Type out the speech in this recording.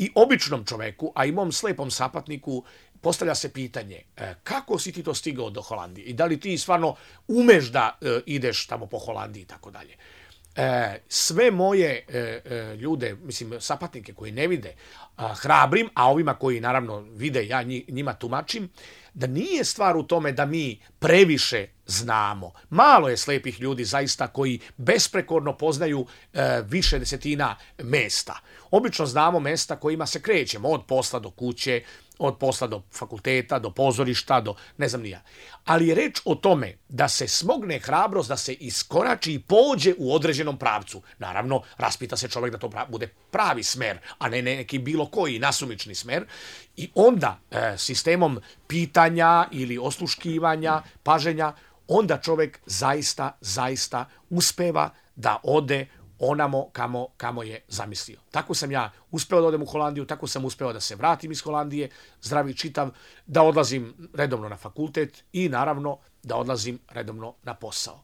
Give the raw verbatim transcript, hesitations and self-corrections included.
I običnom čoveku, a i mom slepom sapatniku, postavlja se pitanje kako si ti to stigao do Holandije i da li ti stvarno umeš da ideš tamo po Holandiji i tako dalje. Sve moje ljude, mislim sapatnike koji ne vide, hrabrim, a ovima koji naravno vide, ja njima tumačim, da nije stvar u tome da mi previše znamo. Malo je slepih ljudi zaista koji besprekorno poznaju e, više desetina mesta. Obično znamo mesta kojima se krećemo, od posla do kuće, od posla do fakulteta, do pozorišta, do ne znam nija. Ali je reč o tome da se smogne hrabrost, da se iskorači i pođe u određenom pravcu. Naravno, raspita se čovjek da to bude pravi smer, a ne neki bilo koji nasumični smer. I onda e, sistemom pitanja ili osluškivanja, paženja, onda čovjek zaista, zaista uspeva da ode onamo kamo, kamo je zamislio. Tako sam ja uspeo da odem u Holandiju, tako sam uspeo da se vratim iz Holandije, zdravi čitav, da odlazim redovno na fakultet i naravno da odlazim redovno na posao.